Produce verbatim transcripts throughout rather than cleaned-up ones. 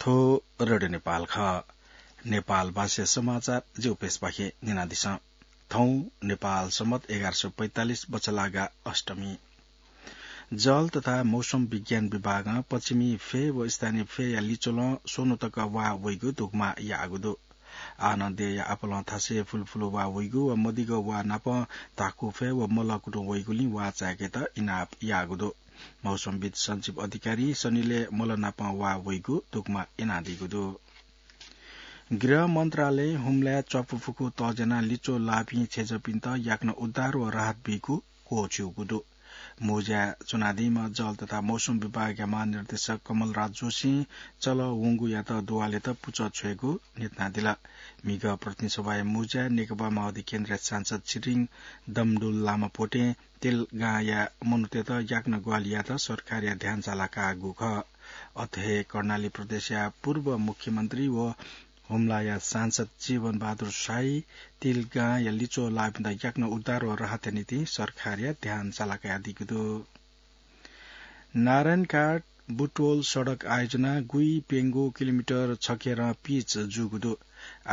रेडियो नेपाल खः। नेपाल भाषा समाचार जिगु पेजपाखें न्यनादिसँ। थौं नेपाल सम्बत एघार सय पैंतालिस बछलागा अष्टमी। जल तथा मौसम विज्ञान विभागं पश्चिमी फय् व स्थानीय फय्‌या लिच्वलं स्वन्हु तक वा वइगु धुकुमा याःगु दु। आः नं देय्‌या आपालं थासय् फुलफुल वा वइगु व मदिगः वा नाप धाकु फय् व मल कुतुं वइगुलिं वा चाय्‌केत इनाप याःगु दु। मौसमविद सञ्जीव अधिकारीं सनिलय् मल नाप वा वइगु धुकुमा यानादीगु दु। गृह मन्त्रालयं हुम्लाय् च्वापु फुकु तज्यानाः लिच्वः लाःपिं छेँजःपिन्त याकनं उद्धार व राहत बीगु क्वःछिउगु दु। मुँज्याय् च्वनादीम्ह जल तथा मौसम विभागया महानिर्देशक कमलराज जोशीं चलः वंगुयात दुवालेत पुचः छ्वयेगु न्ह्यथनादिल। म्हिगः प्रतिनिधि सभाया मुँज्याय् नेकपा माओवादी केन्द्रया सांसद छिरिङ दमडुल लामा पोटें तेलगांया मनूतय्‌त याकनं ग्वाहालि यायेत सरकारया ध्यान चालाकाःगु खः। अथे हे कर्णाली प्रदेशया पूर्व मुख्यमन्त्री व हुम्लाया सांसद जीवन बहादुर शाही तेलगांया लिच्वः लाःपिन्त याकनं उद्धार व राहतया निंतिं सरकारया ध्यान चालाकादीगु दु। नारायणघाट बुटवल सडक आयोजना गुइप्यंगू किलोमिटर छखेरं पिच जूगु दु।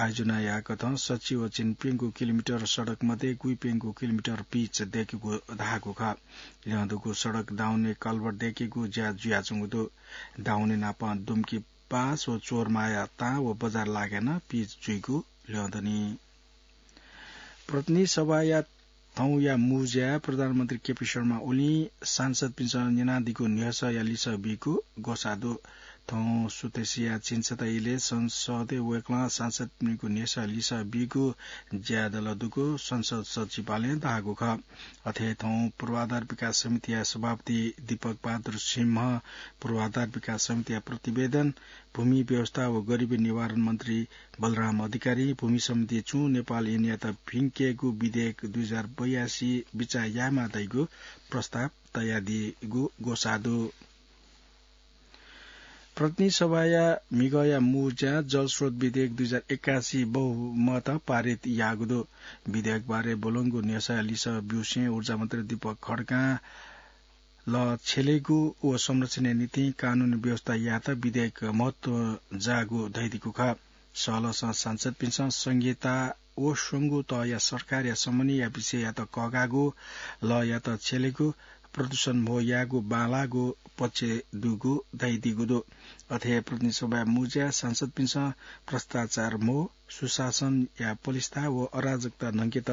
आयोजनाया कथं सच्छि व झिंप्यंगू किलोमिटर सडक मध्ये गुइप्यंगू किलोमिटर पिच दय्‌केगु धाःगु खः। ल्यं दुगु सडक दाउने कल्भर्ट दय्‌केगु ज्या जुयाच्वंगु दु। दाउने नापं दुम्की पास व चोरमाया ताँ व बजार लागाय् नं पिच जुइगु ल्यं दनि। प्रतिनिधि सभाया थौंया मुँज्याय् प्रधानमन्त्री केपी शर्मा ओलीं सांसदपिन्सं न्यनादीगु न्ह्यसःया लिसः बीगु ग्वसाः दु। थौं सुथसिया झिंछता इलय् संसदय् वय्‌कलं सांसदपिनिगु न्ह्यसः लिसः बीगु ज्यादल दुगु संसद सचिवालयं धाःगु खः। अथे हे थौं पूर्वाधार विकास समितिया सभापति दीपक बहादुर सिंह, पूर्वाधार विकास समितिया प्रतिवेदन, भूमि व्यवस्था व गरिबी निवारण मन्त्री बलराम अधिकारीं भूमि सम्बन्धी छुं नेपाल ऐनयात भिंकेगु विधेयक दुई हजार बयासी बिचाः यायेमाः धइगु प्रस्ताव तयादीगु ग्वसाः दु। प्रतिनिधि सभाया म्हिगःया मुँज्यां जलस्रोत विधेयक दुई हजार एकासी बहुमत पारित याःगु दु। विधेयकबारे ब्वलंगु न्ह्यसःया लिसः ब्यूसें ऊर्जा मन्त्री दीपक खड्कां ल छ्यलेगु व संरक्षणया निंतिं कानूनी व्यवस्था यायेत विधेयक महत्व जाःगु धयादीगु खः। सहलहसं सांसदपिन्सं संघीयता व स्वंगू तहया सरकारया समन्वयया विषययात कःघाःगु, लयात छ्यलेगु, प्रदूषण म्हो यायेगु बांलाःगु पक्ष दुगु धयादीगु दु। अथे हे प्रतिनिधि सभाया मुँज्याय् सांसदपिन्सं भ्रष्टाचार म्हो, सुशासनया पलिस्था व अराजकता न्हंकेत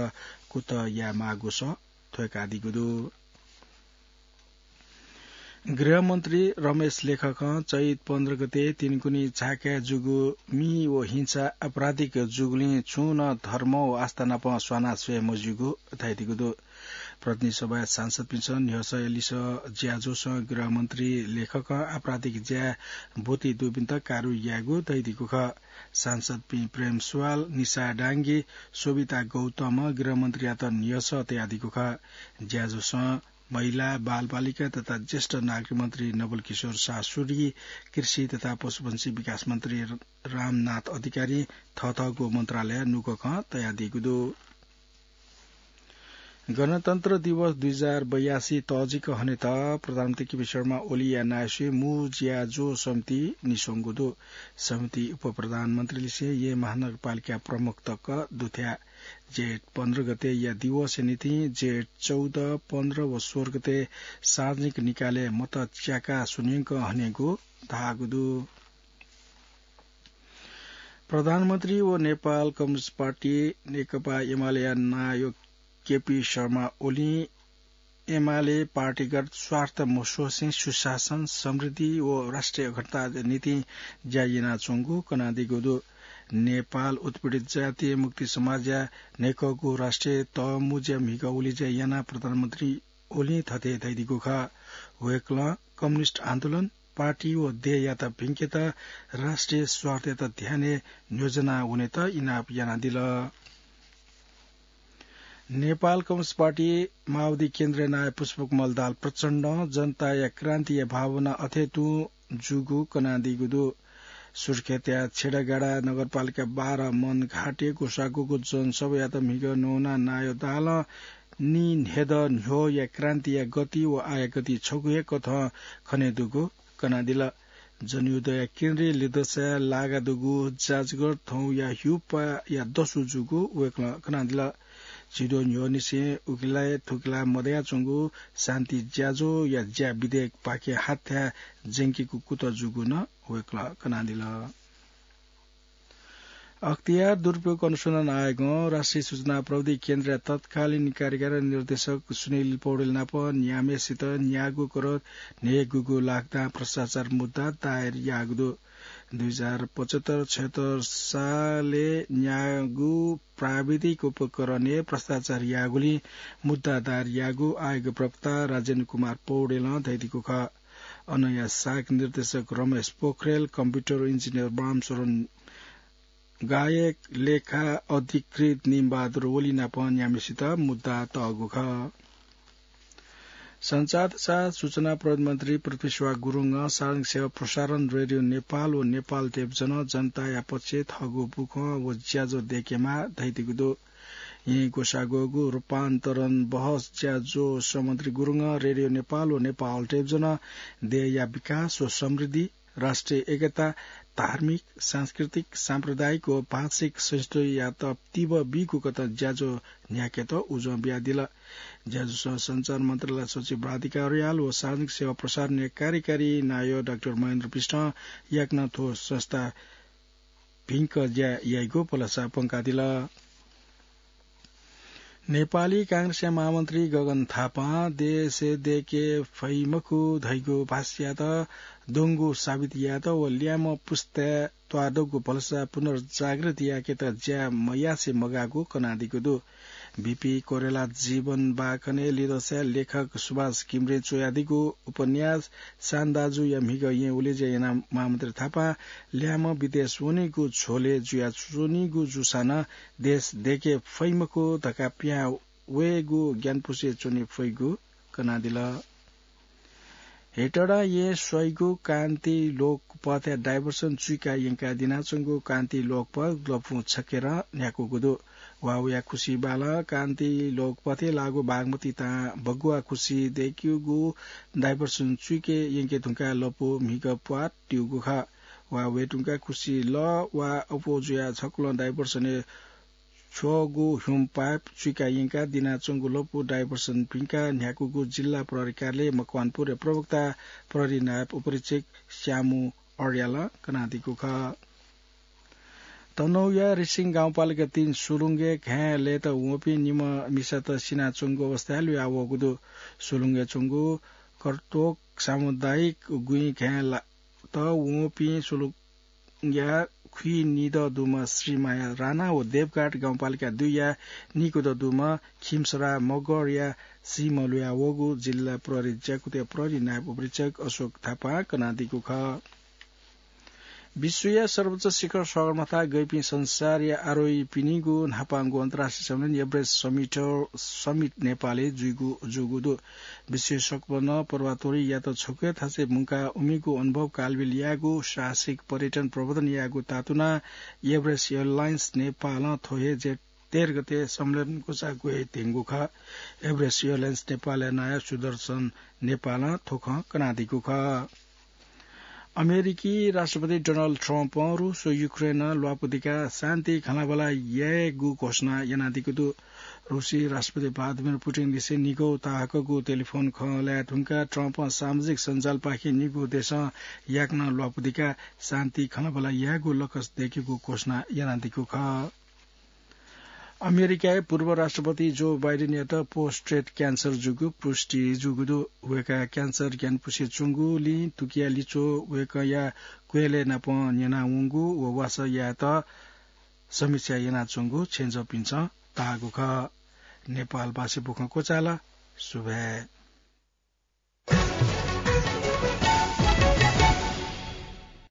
कुतः यायेमाःगु सः थ्वय्‌कादीगु दु। गृहमन्त्री रमेश लेखकं चैत पन्ध्र गते तिनकुनी झाकाय् जूगु मि व हिंसा आपराधिक जूगुलिं छुं नं धर्म व आस्था नाप स्वाना स्वये मज्यूगु धयादीगु दु। प्रतिनिधि सभाया सांसदपिन्सं न्ह्यसःया लिसः ज्याझ्वलय् गृहमन्त्री लेखकं आपराधिक ज्याय् ब्वति दुपिन्त कारवाही यायेगु धयादीगु खः। सांसदपिं प्रेम सुवाल, निशा डांगी, शोभिता गौतमं गृहमन्त्रीयात न्ह्यसः तयादीगु खः। ज्याझ्वलय् महिला, बालबालिका तथा ज्येष्ठ नागरिक मन्त्री नवल किशोर शाह सूरी, कृषि तथा पशुपंक्षी विकास मन्त्री रामनाथ अधिकारीं थःथःगु मन्त्रालयया नुगः खँ तयादीगु दु। गणतन्त्र दिवस दुई हजार बयासी तःजिक हनेत प्रधानमन्त्री केपी शर्मा ओलीया नायःसुइ मू ज्याझ्वः समिति निस्वंगु दु। समिति उपप्रधानमन्त्रीलिसें येँ महानगरपालिका प्रमुख तक दुथ्याः। जेठ पन्ध्र गतेया दिवसया निंतिं जेठ चौध, पन्ध्र व सोह्र गते सार्वजनिक निकालय् मत च्याका स्वन्यंक हनेगु धाःगु दु। प्रधानमन्त्री व नेपाल कम्युनिस्ट पार्टी नेकपा एमालेया नायः केपी शर्मा ओलीं एमाले पार्टीगत स्वार्थ मस्वसें सुशासन, समृद्धि व राष्ट्रिय अखण्डताया निंतिं ज्या यानाच्वंगु कनादीगु दु। नेपाल उत्पीडित जातीय मुक्ति समाजया न्हय्कःगु राष्ट्रिय तःमुँज्या म्हिगः उलेज्या यानाः प्रधानमन्त्री ओलीं थथे धयादीगु खः। वय्कलं कम्युनिस्ट आन्दोलन, पार्टी व देय्‌यात भिंकेत राष्ट्रिय स्वार्थयात ध्यानय् न्ह्यज्वना वनेत इनाप यानादिल। नेपाल कम्युनिस्ट पार्टी माओवादी केन्द्रया नायः पुष्पकमल दाहाल प्रचण्डं जनताया क्रान्तिया भावना अथे तुं जूगु कनादीगु दु। सुर्खेतया छेँडागाडा नगरपालिका बाह्र मनघाटय् ग्वसाः ग्वःगु जनसभायात म्हिगः न्ववानाः नायः दाहालं नीन्हेदँ न्ह्यःया क्रान्तिया गति व आःया गति छगू हे कथं खनेदुगु कनादिल। जनयुद्धया केन्द्रीय लिदँसाय् लागा दुगु जाजगढ थौंया ह्युपाया दसु जूगु वय्कलं कनादिल। झिद्वः न्ह्यःनिसें उकिलाय् थुकिलाय् मदयाच्वंगु शान्ति ज्याझ्वःया ज्या विधेयकपाखें हाथ्याः ज्यंकेगु कुतः जूगु नं वय्कलं कनादिल। अख्तियार दुरुपयोग अनुसन्धान आयोगं राष्ट्रिय सूचना प्रविधि केन्द्रया तत्कालीन कार्यकारी निर्देशक सुनिल पौडेल नाप न्याम्हेसित न्यागू करोड न्हय्‌गूगू लाख दां भ्रष्टाचार मुद्दा दायर याःगु दु। दुई हजार पचहत्तर छयहत्तर सालय् न्यागू प्राविधिक उपकरणय् भ्रष्टाचार याःगुलिं मुद्दा दायर याःगु आयोग प्रवक्ता राजेन्द्र कुमार पौडेलं धयादीगु खः। अनया शाख निर्देशक रमेश पोखरेल, कम्प्युटर इन्जिनियर रामशरण गायक, लेखा अधिकृत निमबहादुर ओली नाप न्याम्हेसित मुद्दा तःगु खः। सञ्चार तथा सूचना प्रविधि मन्त्री पृथ्वी सुवास गुरुङं सार्वजनिक सेवा प्रसारण रेडियो नेपाल व नेपाल टेलिभिजनं जनताया पक्षय् थःगु बुखँ व ज्याझ्वः दय्केमाः धयादीगु दु। येँ ग्वसाः ग्वःगु रूपान्तरण बहस ज्याझ्वःस मन्त्री गुरुङं रेडियो नेपाल व नेपाल टेलिभिजनं देय्‌या विकास व समृद्धि, राष्ट्रिय एकता, धार्मिक, सांस्कृतिक, साम्प्रदायिक व भाषिक सहिष्णुतायात तीव्र बीगु कथं ज्याझ्वः न्ह्याकेत उजं बियादिल। ज्याझ्वलय् सञ्चार मन्त्रालय सचिव राधिका अर्याल व सार्वजनिक सेवा प्रसारणया कार्यकारी नायः डाक्टर महेन्द्र विष्टं याकनं थ्व संस्था भिंक ज्या याइगु भलसा प्वंकादिल। नेपाली कांग्रेसया महामन्त्री गगन थापां देशय् दय्के फइ मखु धइगु भाष्ययात द्वंगु साबित यायेत व ल्याय्म्ह पुस्ताय् त्वाःदंगु भलसा पुनर्जागृत याकेत ज्या मयासे मगाःगु कनादीगु दु। बीपी कोइराला जीवन बाखनय् लिदँसाय् लेखक सुभाष घिमिरें च्वयादीगु उपन्यास शान दाजुया म्हिगः येँ उलेज्या यानाः महामन्त्री थापां ल्याय्म्ह विदेश वनीगु झ्वलय् जुयाच्वनीगु जूसां नं देश दय्के फइ मखु धकाः पिहां वयेगु ग्यानापुसे च्वने फइगु कनादिल। हेटडा येँ स्वइगु कान्ति लोकपथय् डाइभर्सन चुइका यंकाः दिनाच्वंगु कान्ति लोकपथ लँपु छखेरं न्ह्याकूगु दु। वाःवया खुसि बालं कान्ति लोकपथय् लाःगु बागमती तां बगुवा खुसि दय्कूगु डाइभर्सन चुइके यंके धुंकाः लँपु म्हिगः प्वाः त्यूगु खः। वाःवये धुंकाः खुसि लः वा अप्वः जुयाः छकुलं डाइभर्सनय् छ्वःगु ह्युम पाइप चुइका यंकाः दिनाच्वंगु लँपु डाइभर्सन भिंकाः न्ह्याकूगु जिल्ला प्रहरी कार्यालय मकवानपुरया प्रवक्ता प्रहरी नायब उपरीक्षक श्यामु अर्यालं कनादीगु खः। तनहुँया रिसिङ गाउँपालिका तीन सुलुङ्गे घाँय् लय्‌त वंपिं निम्ह मिसात सिनाच्वंगु अवस्थाय् लुया वःगु दु। सुलुङ्गे च्वंगु कर्तोक सामुदायिक गुँइ घाँय् ला-, त वंपिं सुलुङ्ग्या खुइनिदँ दुम्ह श्रीमाया राणा व देवघाट गाउँपालिका दुईया निकुदँ दुम्ह खिमसरा मगरया सीम्ह लुया वःगु जिल्ला प्रहरी ज्याकुथया प्रहरी नायब उपरीक्षक अशोक थापां कनादीगु खः। विश्वया सर्वोच्च शिखर सगरमाथा गइपिं संसारया आरोहीपिनिगु न्हापांगु अन्तर्राष्ट्रिय सम्मेलन एभरेस्ट समिट, समिट नेपालय् जुइगु, जूगु दु। विश्वया सकभरं पर्वतारोहीयात छकूया थासय् मुंकाः उमिगु अनुभव कालबिल यायेगु साहसिक पर्यटन प्रवर्धन यायेगु तातुनाः एभरेस्ट एयरलाइन्स नेपालं थ्व हे जेठ तेह्र गते सम्मेलन ग्वसाः ग्वये धइगु खः। एभरेस्ट एयरलाइन्स नेपालया नायः सुदर्शन नेपालं थ्व खँ कनादीगु खः। अमेरिकी राष्ट्रपति डोनाल्ड ट्रम्पं रूस व युक्रेनं ल्वापु दिकाः शान्ति खँल्हाबल्हा यायेगु घोषणा यानादीगु दु। रूसी राष्ट्रपति भ्लादिमिर पुटिन लिसे निगू ताहाकःगु टेलिफोन खँ ल्हाये धुंकाः ट्रम्पं सामाजिक सञ्जालपाखें निगू देशं याकनं ल्वापु दिकाः शान्ति खँल्हाबल्हा यायेगु लक्ष्य दय्केगु घोषणा यानादीगु खः। अमेरिकाया पूर्व राष्ट्रपति जो बाइडेनयात प्रोस्टेट क्यान्सर जूगु पुष्टि जूगु दु। वय्कःया क्यान्सर ग्यानापुसे च्वंगुलिं तुकिया लिच्वः वय्कःया क्वय्लय् नाप न्यनावंगु व वासः यायेत समीक्षा यानाच्वंगु छेँजःपिन्सं धाःगु खः। नेपालभाषी बुखँ क्वचाल। सुभाय्।